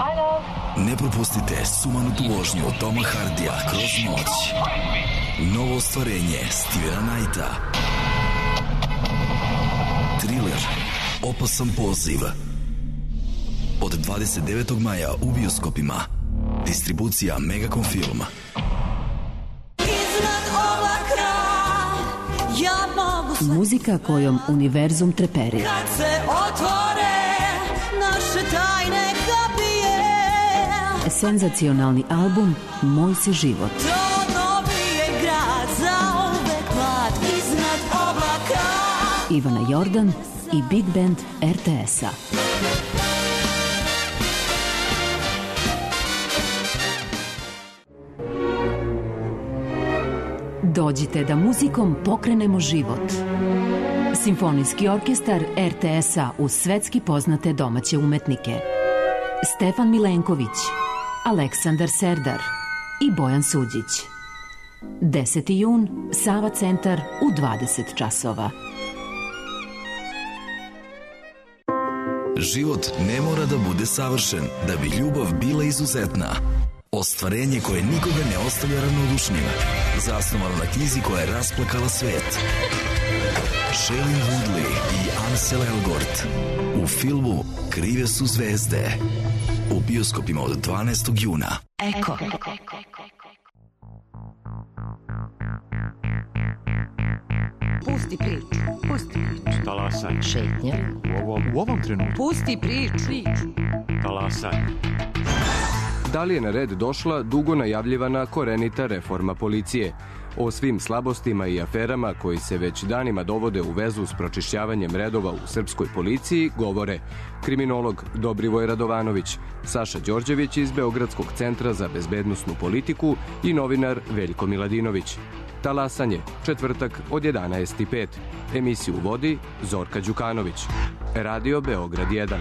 Alo, Ne propustite sumanutu vožnju Toma Hardija kroz noć. Novo ostvarenje Stevena Knighta. Thriller Opasan poziv. Od 29. maja u bioskopima. Distribucija Megacom Film. Muzika kojom univerzum treperi. Kad se otvore naše tajne kapije. Senzacionalni album Moj si život. To novi je grad za uvek mlad iznad oblaka. Ivana Jordan i Big Band RTS-a. Dođite da muzikom pokrenemo život. Simfonijski orkestar RTS-a uz svetski poznate domaće umetnike. Stefan Milenković, Aleksandar Serdar i Bojan Suđić. 10. jun, Sava centar u 20 časova. Život ne mora da bude savršen da bi ljubav bila izuzetna. Ostvarenje koje nikoga ne ostavlja ravnodušnim. Zasnovano na knjizi koja je rasplakala svet. Shailene Woodley i Ansel Elgort u filmu Krive su zvezde. U bioskopima od 12. juna. Eko. Pusti priču. Pusti priču. Talasaj. Šetnja. U ovom trenutku. Pusti priču. Talasaj. Da li je na red došla dugo najavljivana korenita reforma policije? O svim slabostima i aferama koji se već danima dovode u vezu s pročišćavanjem redova u srpskoj policiji govore kriminolog Dobrivoj Radovanović, Saša Đorđević iz Beogradskog centra za bezbednosnu politiku i novinar Veljko Miladinović. Talasanje, četvrtak od 11:05. Emisiju vodi Zorka Đukanović. Radio Beograd 1.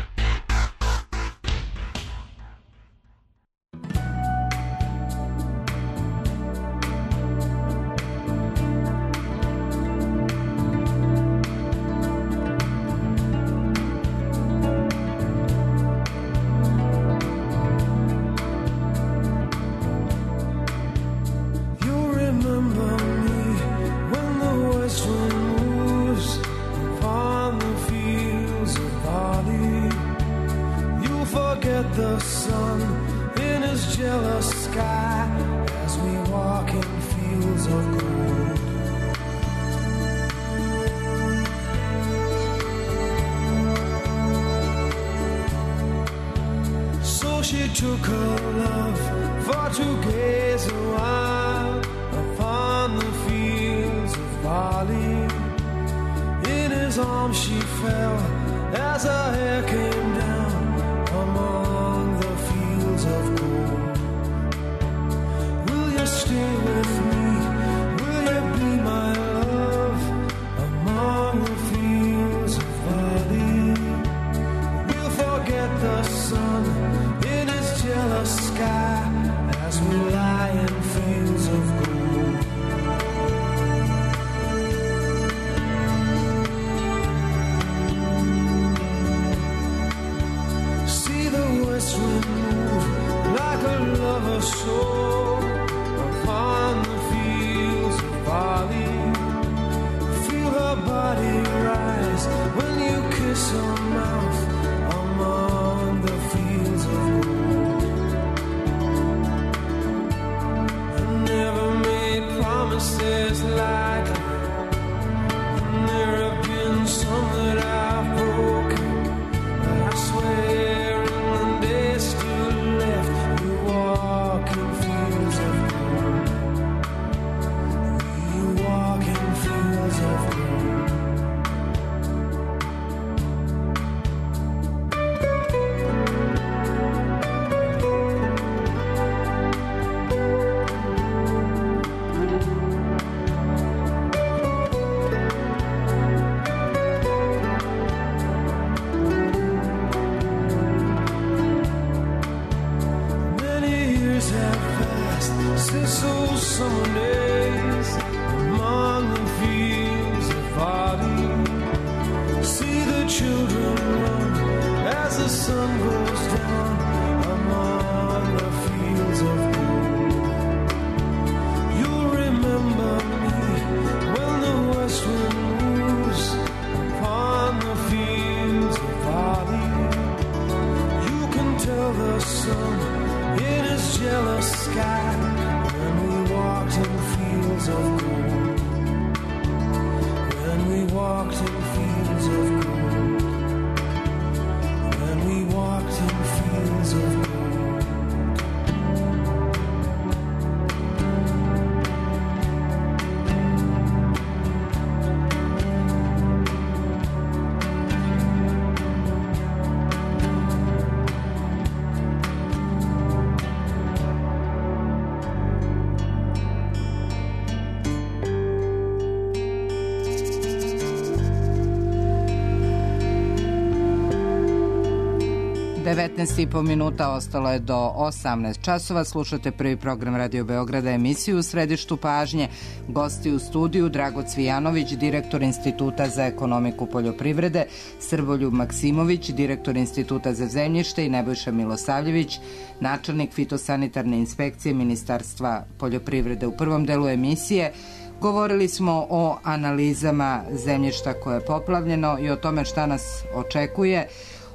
19,5 minuta, ostalo je do 18 časova. Slušate prvi program Radio Beograda, emisiju U središtu pažnje. Gosti u studiju Drago Cvijanović, direktor Instituta za ekonomiku poljoprivrede, Srboljub Maksimović, direktor Instituta za zemljište i Nebojša Milosavljević, načelnik fitosanitarne inspekcije Ministarstva poljoprivrede. U prvom delu emisije govorili smo o analizama zemljišta koje je poplavljeno i o tome šta nas očekuje.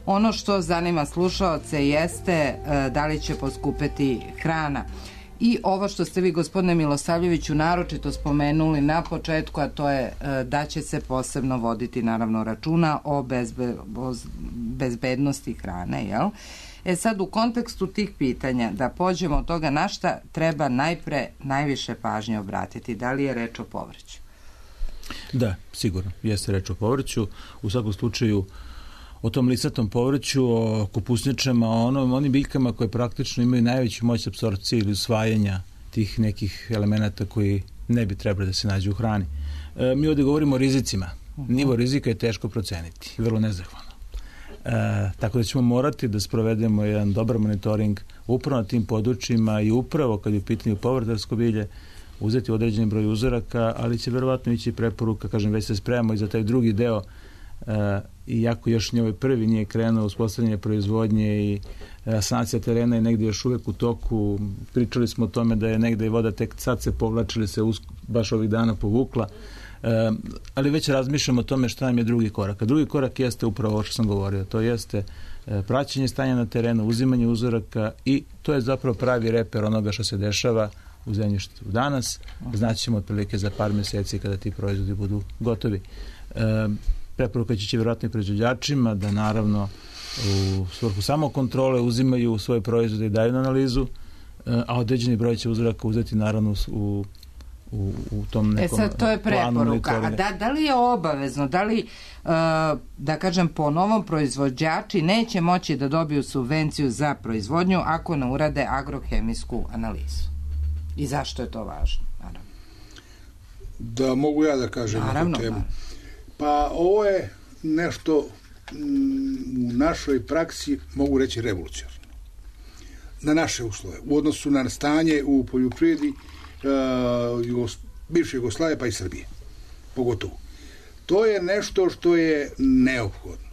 Ono što zanima slušaoce jeste da li će poskupeti hrana. I ovo što ste vi, gospodine Milosavljeviću, naročito spomenuli na početku, a to je da će se posebno voditi naravno računa o bezbednosti hrane, jel? Sad u kontekstu tih pitanja, da pođemo od toga na šta treba najviše pažnje obratiti, da li je reč o povrću? Da, sigurno, jeste reč o povrću. U svakom slučaju o tom lisatom povrću, o kupusnjačama, o onim biljkama koje praktično imaju najveću moć apsorpcije ili usvajanja tih nekih elemenata koji ne bi trebali da se nađu u hrani. Mi ovdje govorimo o rizicima. Nivo rizika je teško proceniti, vrlo nezahvalno. Tako da ćemo morati da sprovedemo jedan dobar monitoring upravo na tim područjima i upravo kad je u pitanju povrtarsko bilje uzeti određeni broj uzoraka, ali će verovatno ići preporuka, kažem, već se spremamo i za taj drugi deo, iako još ovaj prvi nije krenuo uspostavljanje proizvodnje i sanacija terena je negdje još uvijek u toku. Pričali smo o tome da je negdje voda tek sad se povlačili, se baš ovih dana povukla, ali već razmišljamo o tome šta nam je drugi korak. A drugi korak jeste upravo ovo što sam govorio, to jeste praćenje stanja na terenu, uzimanje uzoraka i to je zapravo pravi reper onoga što se dešava u zemljištu danas. Znaćemo otprilike za par mjeseci kada ti proizvodi budu gotovi. Preporuka će vjerojatno i proizvođačima da naravno u svrhu samokontrole uzimaju svoje proizvode i daju na analizu, a određeni broj će uzoraka uzeti naravno u tom nekom planu. Sad, to je preporuka. A da li je obavezno, da li, da kažem, po novom proizvođači neće moći da dobiju subvenciju za proizvodnju ako ne urade agrohemijsku analizu? I zašto je to važno? Naravno. Da mogu ja da kažem na tu temu. Pa ovo je nešto u našoj praksi, mogu reći, revolucionarno. Na naše uslove, u odnosu na stanje u poljoprivredi bivše Jugoslavije pa i Srbije. Pogotovo. To je nešto što je neophodno.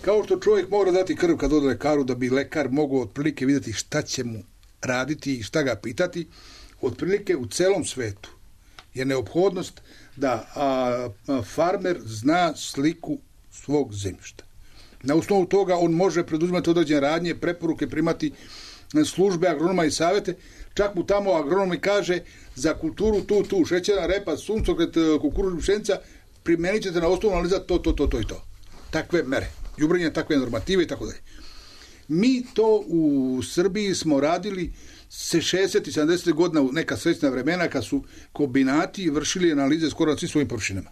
Kao što čovjek mora dati krv kad ode lekaru da bi lekar mogao otprilike vidjeti šta će mu raditi i šta ga pitati, otprilike u celom svetu je neophodnost da farmer zna sliku svog zemljišta. Na osnovu toga on može preduzimati određene radnje, preporuke, primati službe agronoma i savjete. Čak mu tamo agronom mi kaže za kulturu tu, šećerna repa, suncokret, kukuruz, pšenica, primenit ćete na osnovu analiza to i to. Takve mere, đubrenje, takve normative i tako dalje. Mi to u Srbiji smo radili se 60. i 70. godina u neka srećna vremena kad su kombinati vršili analize skoro na svim svojim površinama.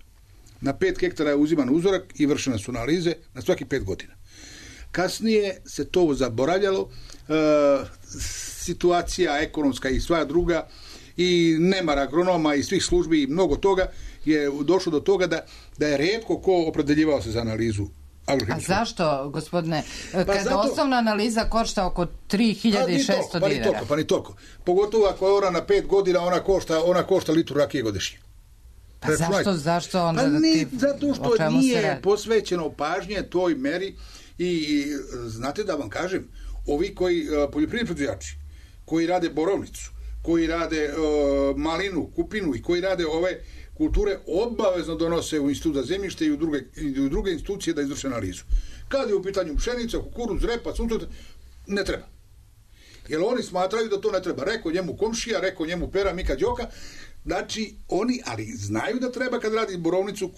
Na 5 hektara je uziman uzorak i vršene su analize na svaki 5 godina. Kasnije se to zaboravljalo, situacija ekonomska i sva druga i nemar agronoma i svih službi i mnogo toga je došlo do toga da je rijetko ko opredeljivao se za analizu. A zašto, gospodine, kada osnovna analiza košta oko 3600 dinara? Pa ni toliko. Pogotovo ako je ona na 5 godina, ona košta litru rakije godišnje. Pa zašto onda? Zato što nije posvećeno pažnje toj meri i znate da vam kažem, ovi koji poljoprivredni proizvođači, koji rade borovnicu, koji rade malinu, kupinu i koji rade ove kulture obavezno donose u Institut za zemljište i u druge institucije da izvrše analizu. Kad je u pitanju pšenica, kukuruz, repa, suncokret, ne treba. Jer oni smatraju da to ne treba. Rekao njemu komšija, rekao njemu Pera, Mika, Đoka. Znači, oni, ali znaju da treba kad radi borovnicu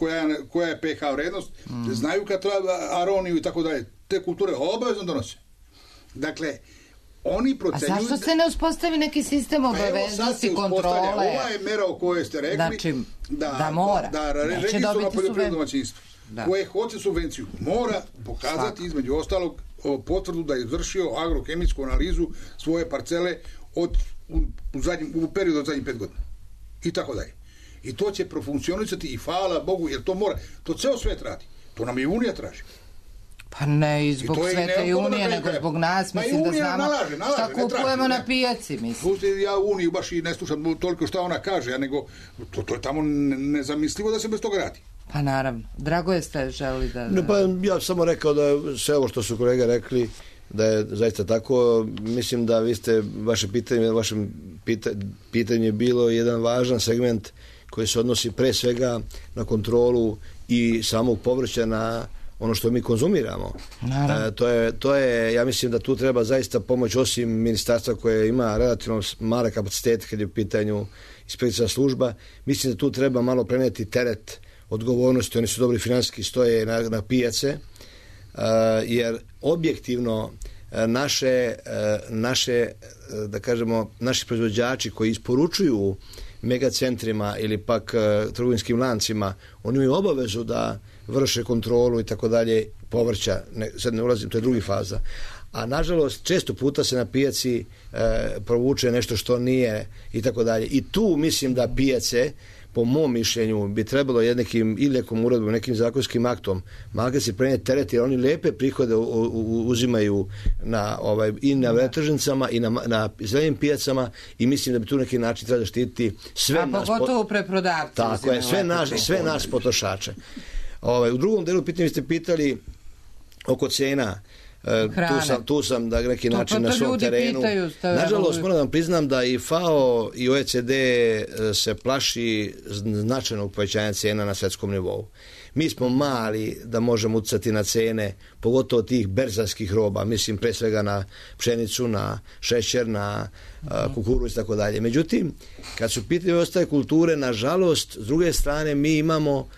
koja je pH vrednost, znaju kad treba aroniju i tako dalje. Te kulture obavezno donose. Dakle, oni procenjuju... A zašto se ne uspostavi neki sistem obaveznosti kontrole? Ova je mera o kojoj ste rekli, znači, da mora. Da registrovano poljoprivredno domaćinstvo koje hoće subvenciju mora pokazati između ostalog potvrdu da je izvršio agrohemijsku analizu svoje parcele u periodu od zadnjih 5 godina. I tako dalje. I to će profunkcionisati i hvala Bogu, jer to mora. To ceo svet radi. To nam i Unija traži. Pa ne i zbog Svete Unije, nego zbog nas, mislim da znamo šta kupujemo na pijaci, mislim. Ja Uniju baš i ne slušam toliko šta ona kaže, nego to je tamo nezamislivo da se bez toga radi. Pa naravno. Dragoje, ste želi da... Ne, pa ja samo rekao da sve ovo što su kolega rekli, da je zaista tako. Mislim da vi ste, vaše pitanje je bilo jedan važan segment koji se odnosi pre svega na kontrolu i samog povrća na ono što mi konzumiramo. To je, ja mislim da tu treba zaista pomoć, osim ministarstva koje ima relativno male kapacitete kad je u pitanju inspekcijska služba. Mislim da tu treba malo preneti teret odgovornosti, oni su dobri finansijski, stoje na pijace, jer objektivno naše da kažemo, naši proizvođači koji isporučuju megacentrima ili pak trgovinskim lancima, oni imaju obavezu da vrše kontrolu i tako dalje povrća, sad ne ulazim, to je drugi faza. A nažalost, često puta se na pijaci provuče nešto što nije i tako dalje. I tu mislim da pijace, po mom mišljenju, bi trebalo ili nekom uredbom, nekim zakonskim aktom, malo se prenijeti teret, jer oni lepe prihode uzimaju i na veletržnicama i na zelenim pijacama, i mislim da bi tu neki način treba zaštititi sve nas. A pogotovo preprodavci. Tako je, sve nas potrošače. U drugom delu pitanja ste pitali oko cena. Tu sam da neki način na svom terenu. Nažalost, moram da vam priznam da i FAO i OECD se plaši značajnog povećanja cena na svetskom nivou. Mi smo mali da možemo utjecati na cene, pogotovo tih berzanskih roba, mislim pre svega na pšenicu, na šećer, na kukuruz i tako dalje. Međutim, kad su pitanje ostale kulture, nažalost, s druge strane mi imamo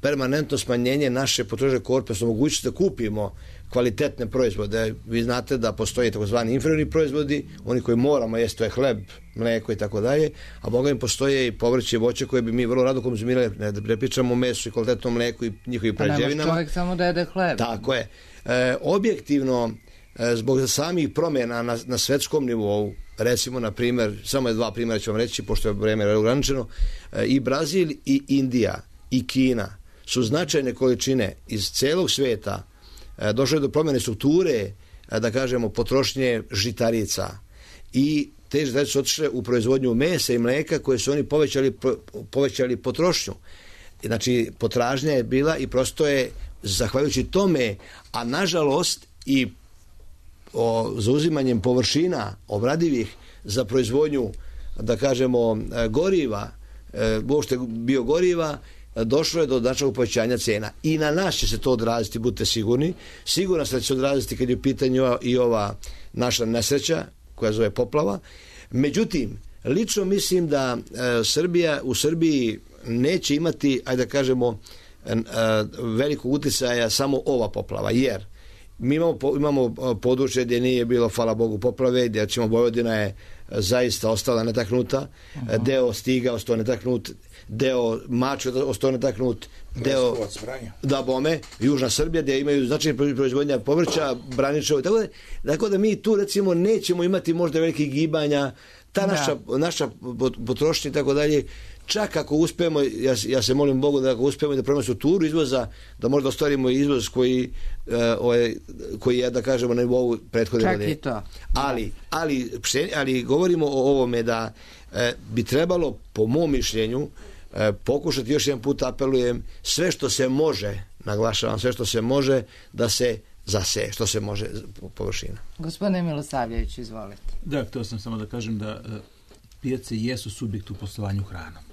permanentno smanjenje naše potrošnje korpusa, mogućnosti da kupimo kvalitetne proizvode. Vi znate da postoje takozvani inferiorni proizvodi, oni koji moramo jesti, to je hleb, mlijeko i tako dalje, a boga im postoje i povrće i voće koje bi mi vrlo rado konzumirali, ne pričamo o mesu i kvalitetnom mleku i njihovim prerađevinama. Pa ne može čovjek samo da jede hleb. Tako je. Objektivno, zbog samih promjena na svetskom nivou, recimo, na primjer, samo je 2 primjera ću vam reći, pošto je vreme ograničeno, i Brazil i Indija i Kina su značajne količine iz celog sveta došle do promjene strukture, da kažemo, potrošnje žitarica, i te žitarice su otišle u proizvodnju mesa i mleka koje su oni povećali potrošnju. Znači, potražnja je bila i prosto je, zahvaljujući tome, a nažalost i zauzimanjem površina obradivih za proizvodnju, da kažemo, goriva, uopšte biogoriva, došlo je do značajnog povećanja cena. I na nas će se to odraziti, budite sigurni. Sigurno se da će se odraziti kad je u pitanju i ova naša nesreća koja zove poplava. Međutim, lično mislim da u Srbiji neće imati, ajde da kažemo, velikog utjecaja samo ova poplava, jer mi imamo područje gdje nije bilo, hvala Bogu, poplave, gdje ćemo Vojvodina je zaista ostala netaknuta, deo Stiga ostao netaknut, deo Mačve ostao netaknut, deo da bome, Južna Srbija gdje imaju značajne proizvodnja povrća, Braničevo, tako da mi tu recimo nećemo imati možda velikih gibanja, ta naša potrošnja i tako dalje. Čak ako uspemo, ja se molim Bogu da ako uspemo da promenimo strukturu izvoza, da možda ostvarimo izvoz koji je, da kažemo, na nivou prethodne godine. Čak i to. Ali govorimo o ovome da bi trebalo, po mom mišljenju, pokušati, još jedan put apelujem, sve što se može, naglašavam, sve što se može, da se zaseje, što se može površina. Gospodine Milosavljević, izvolite. Da, htio sam samo da kažem da pijace jesu subjekt u poslovanju hranom.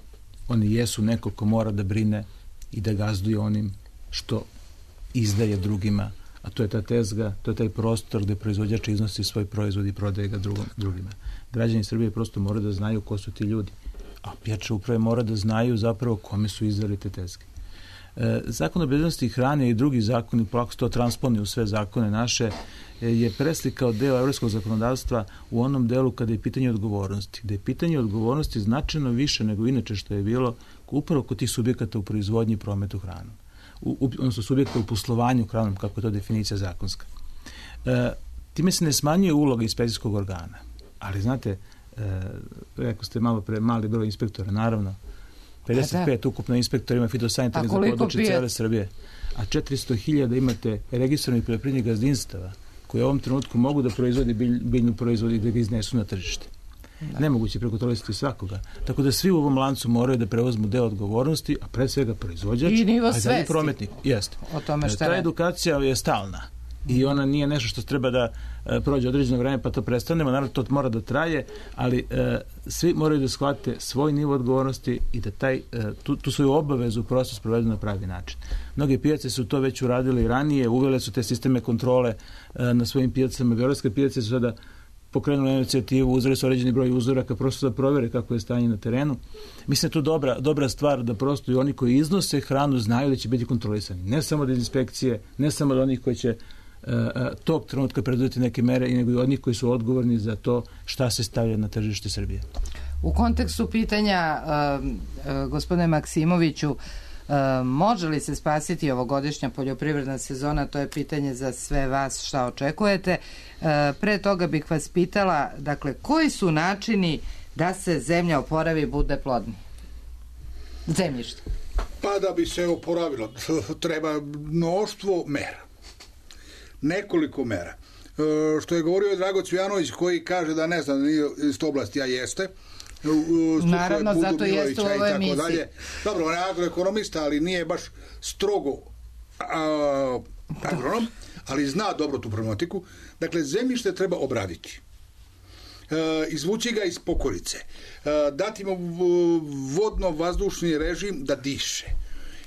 Oni jesu neko ko mora da brine i da gazduje onim što izdaje drugima, a to je ta tezga, to je taj prostor gde proizvođač iznosi svoj proizvod i prodaje ga drugima. Građani Srbije prosto moraju da znaju ko su ti ljudi, a pijače uprave mora da znaju zapravo kome su izdali te tezge. Zakon o bezbednosti hrane i drugi zakoni, polako se to transponuje u sve zakone naše, je preslikao deo evropskog zakonodavstva u onom delu kada je pitanje odgovornosti. Gde je pitanje odgovornosti značajno više nego inače što je bilo upravo kod tih subjekata u proizvodnji i prometu hranom. Odnosno subjekata u poslovanju hranom, kako je to definicija zakonska. Time se ne smanjuje uloga inspekcijskog organa. Ali znate, rekao ste malo pre, mali broj inspektora, naravno, 55 ukupno inspektorima fitosanitarnih za područje cijele Srbije. A 400.000 imate registrovanih poljoprivrednih gazdinstava koji u ovom trenutku mogu da proizvodi biljnu proizvod i da ga iznesu na tržište. Nemoguće prekontrolisati svakoga. Tako da svi u ovom lancu moraju da preuzmu deo odgovornosti, a pre svega proizvođač, i nivo svesti. Prometnik. Jeste. O tome šta ta edukacija je stalna. I ona nije nešto što treba da prođe određeno vreme pa to prestanemo, naravno to mora da traje, ali svi moraju da shvate svoj nivo odgovornosti i da tu svoju obavezu prosto sprovedu na pravi način. Mnoge pijace su to već uradili ranije, uvele su te sisteme kontrole na svojim pijacama. Beogradske pijace su sada pokrenuli inicijativu, uzeli su određeni broj uzoraka prosto da provere kako je stanje na terenu. Mislim da je to dobra stvar da prosto i oni koji iznose hranu znaju da će biti kontrolisani. Ne samo od inspekcije, ne samo od onih koji će tog trenutka preduzeti neke mere, nego i od njih koji su odgovorni za to šta se stavlja na tržište Srbije. U kontekstu pitanja gospodine Maksimoviću, može li se spasiti ovogodišnja poljoprivredna sezona, to je pitanje za sve vas, šta očekujete. Pre toga bih vas pitala, dakle, koji su načini da se zemlja oporavi i bude plodnija? Zemljište. Pa da bi se oporavilo, treba mnoštvo mera. Nekoliko mera. Što je govorio Drago Cvijanović, koji kaže da ne znam iz te oblasti, a jeste. Naravno, zato jeste u ovoj emisiji. Dobro, on je agroekonomista, ali nije baš strogo agronom, ali zna dobro tu problematiku. Dakle, zemljište treba obraditi. Izvući ga iz pokolice. Dati mu vodno-vazdušni režim da diše.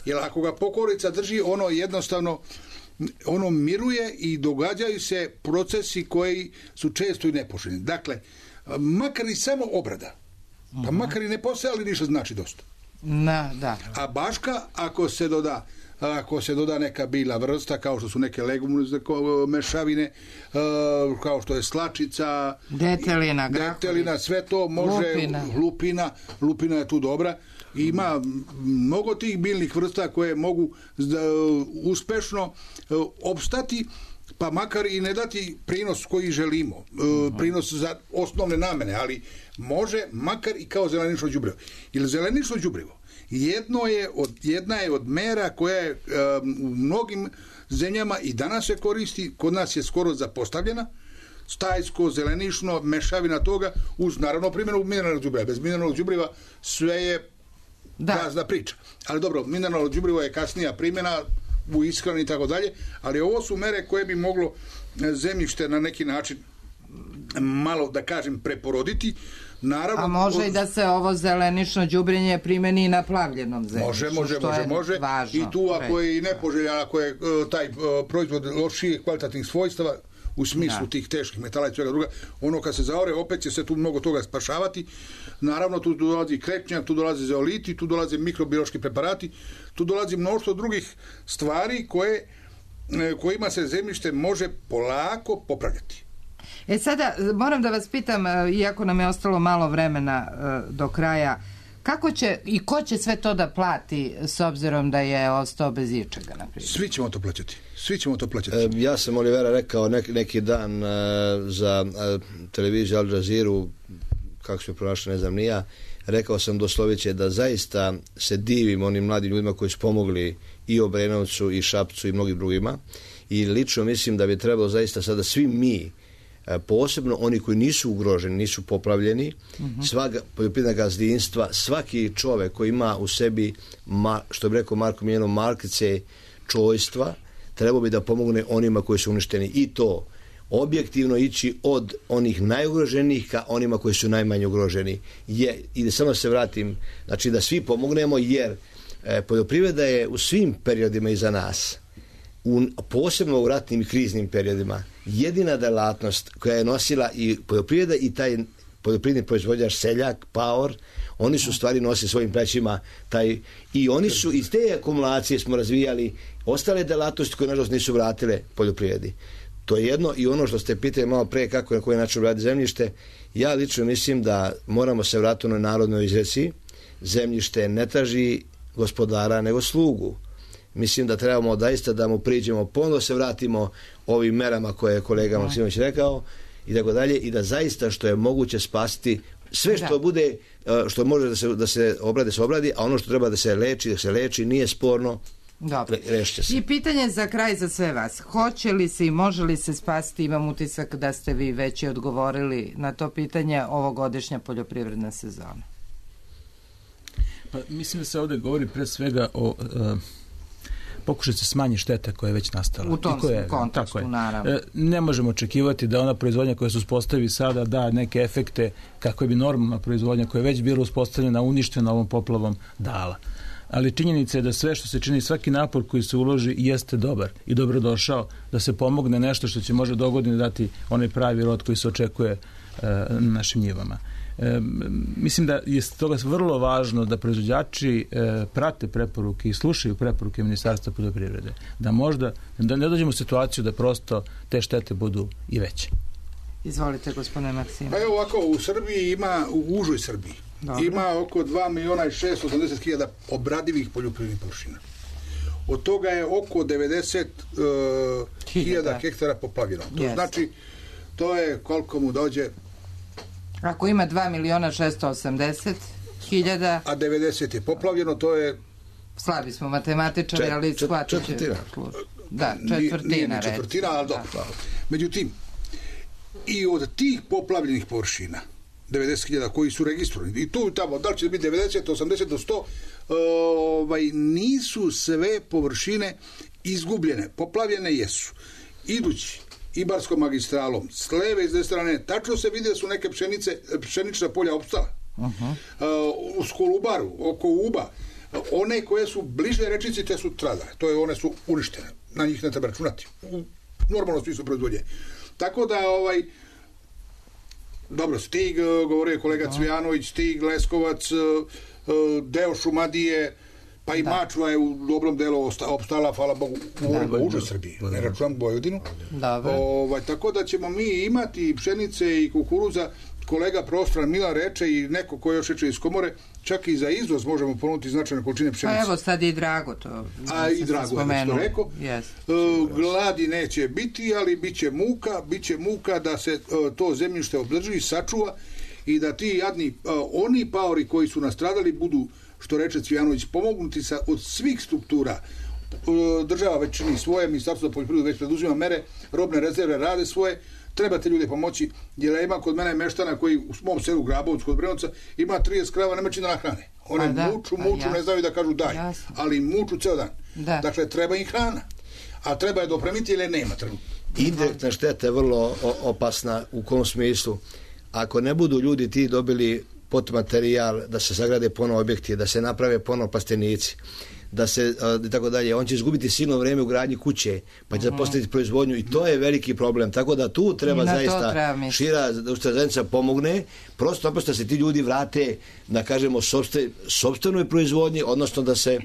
Jer ako ga pokolica drži, ono jednostavno miruje i događaju se procesi koji su često i nepoželjni. Dakle, makar i samo obrada, pa makar i ne postoje, ali ništa znači dosta. Da. A baška, ako se doda neka biljna vrsta, kao što su neke legumne mešavine, kao što je slačica, detelina, sve to može, lupina je tu dobra. Ima mnogo tih biljnih vrsta koje mogu uspešno opstati, pa makar i ne dati prinos koji želimo, prinos za osnovne namene, ali može makar i kao zelenično đubrivo. Jer zelenično đubrivo jedna je od mera koja je u mnogim zemljama i danas se koristi, kod nas je skoro zapostavljena, stajsko, zelenično, mešavina toga, uz naravno primjenu mineralnog đubriva. Bez mineralnog đubriva sve je gazda priča. Ali dobro, mineralno đubrivo je kasnija primjena u ishrani i tako dalje, ali ovo su mere koje bi moglo zemljište na neki način malo, da kažem, preporoditi. Naravno, a može i da se ovo zelenično đubrenje primeni i na plavljenom zemljištu. Može. Važno, i tu ako je i nepoželjan, ako je taj proizvod lošije kvalitativnih svojstava u smislu tih teških metala i svega druga, ono kad se zaore, opet će se tu mnogo toga spašavati. Naravno, tu dolazi krečnjak, tu dolaze zeoliti, tu dolaze mikrobiološki preparati, tu dolazi mnoštvo drugih stvari kojima se zemljište može polako popravljati. Sada moram da vas pitam, iako nam je ostalo malo vremena do kraja, kako će i ko će sve to da plati s obzirom da je ostao bez ičega, naprimjer? Svi ćemo to plaćati. Ja sam, Olivera, rekao neki dan za televiziju Al Jazeera, kako se pronašli, ne znam ni ja, rekao sam doslovice da zaista se divim onim mladim ljudima koji su pomogli i Obrenovcu i Šapcu i mnogim drugima, i lično mislim da bi trebalo zaista sada svi mi, posebno oni koji nisu ugroženi, nisu poplavljeni, sva poljoprivredna gazdinstva, svaki čovek koji ima u sebi, što bi rekao Marko Miljano, markice čojstva, trebao bi da pomogne onima koji su uništeni, i to objektivno ići od onih najugroženijih ka onima koji su najmanje ugroženi. I da samo se vratim, znači da svi pomognemo, jer poljoprivreda je u svim periodima iza nas, posebno u ratnim i kriznim periodima, jedina delatnost koja je nosila i poljoprivreda i taj poljoprivredni proizvođač, seljak, paor, oni su stvari nosili svojim plećima i oni su iz te akumulacije smo razvijali ostale delatnosti koje nažalost nisu vratile poljoprivredi. To je jedno. I ono što ste pitali malo pre, kako na koji način radi zemljište, ja lično mislim da moramo se vratiti na narodnoj izreci: zemljište ne traži gospodara nego slugu. Mislim da trebamo daista da mu priđemo, ponovno se vratimo ovim merama koje je kolega Maksimović rekao i tako dalje, i da zaista što je moguće spasiti sve što bude što može da se obradi, a ono što treba da se leči, nije sporno. Dobro. I pitanje za kraj za sve vas. Hoće li se i može li se spasiti, imam utisak da ste vi već i odgovorili na to pitanje, ovogodišnja poljoprivredna sezona? Pa, mislim da se ovdje govori pre svega o pokušati se smanji šteta koja je već nastala. U tom kontekstu, naravno. Ne možemo očekivati da ona proizvodnja koja se uspostavi sada da neke efekte kako bi normalna proizvodnja koja je već bila uspostavljena, uništena ovom poplavom dala. Ali činjenica je da sve što se čini, svaki napor koji se uloži jeste dobar i dobrodošao, da se pomogne nešto što će možda dogodine dati onaj pravi rod koji se očekuje na našim njivama. Mislim da je toga vrlo važno da proizvođači prate preporuke i slušaju preporuke Ministarstva poljoprivrede. Da ne dođemo u situaciju da prosto te štete budu i veće. Izvolite, gospodine Maksimović. Pa evo ovako, u Srbiji ima, u užoj Srbiji, ima oko 2.680.000 obradivih poljoprivrednih površina. Od toga je oko 90.000 hektara poplavljeno. To znači, to je koliko mu dođe. Ako ima 2.680.000, a 90 je poplavljeno, to je... Slabi smo matematičari, ali shvatit će... Da, četvrtina, ali dobro. Međutim, i od tih poplavljenih površina, 90.000 koji su registrovani, i tu i tamo, da li će biti 90, 80 do 100, nisu sve površine izgubljene. Poplavljene jesu. Idući Ibarskom magistralom, s leve i s desne strane, tačno se vidi da su neke pšenična polja opstala. U Kolubaru, oko Uba, one koje su bliže rečici, te su stradale. One su uništene. Na njih ne treba računati. U normalnom smislu proizvodnje. Tako da, dobro, Stig, govorio je kolega Cvijanović, Stig, Leskovac, deo Šumadije, pa i Mačva je u dobrom delu opstala, hvala Bogu, u užoj Srbiji, ne računam Vojvodinu. Tako da ćemo mi imati pšenice i kukuruza, kolega Prostran Milan reče i neko ko još reče iz Komore, čak i za izvoz možemo ponuditi značajne količine pšenice. Pa evo sad i Drago to. I Drago je što rekao. Gladi neće biti, ali bit će muka da se to zemljište održi, sačuva i da ti jadni, oni paori koji su nastradali budu, što reče Cvijanović, pomognuti od svih struktura. Država već čini svoje, Ministarstvo za poljoprivredu već preduzima mere, robne rezerve rade svoje, treba te ljude pomoći, jer ima kod mene meštana koji u mom selu Grabovcu kod Brenovca ima 30 krava, nema čini da nahrane. One muču, ne znaju da kažu daj, ali muču ceo dan. Dakle, treba im hrana, a treba je dopremiti ili nema trenutno. Indirektna šteta je vrlo opasna u kom smislu. Ako ne budu ljudi ti dobili potmaterijal da se sagrade ponovo objekti, da se naprave ponovo plastenici, da se i tako dalje, on će izgubiti silno vreme u gradnji kuće, pa će zapostaviti proizvodnju i to je veliki problem, tako da tu treba zaista šira zajednica pomogne, prosto da se ti ljudi vrate, da kažemo, sopstvenoj proizvodnji, odnosno da se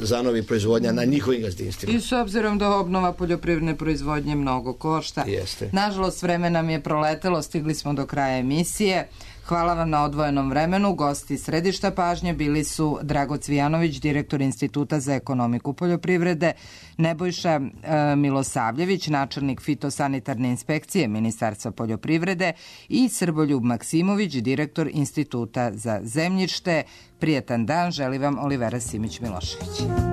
zanovi proizvodnja na njihovim gazdinstvima. I s obzirom da obnova poljoprivredne proizvodnje mnogo košta. Nažalost, vreme nam je proletelo, stigli smo do kraja emisije. Hvala vam na odvojenom vremenu. Gosti središta pažnje bili su Drago Cvijanović, direktor Instituta za ekonomiku poljoprivrede, Nebojša Milosavljević, načelnik fitosanitarne inspekcije Ministarstva poljoprivrede i Srboljub Maksimović, direktor Instituta za zemljište. Prijetan dan, želi vam Olivera Simić-Milošević.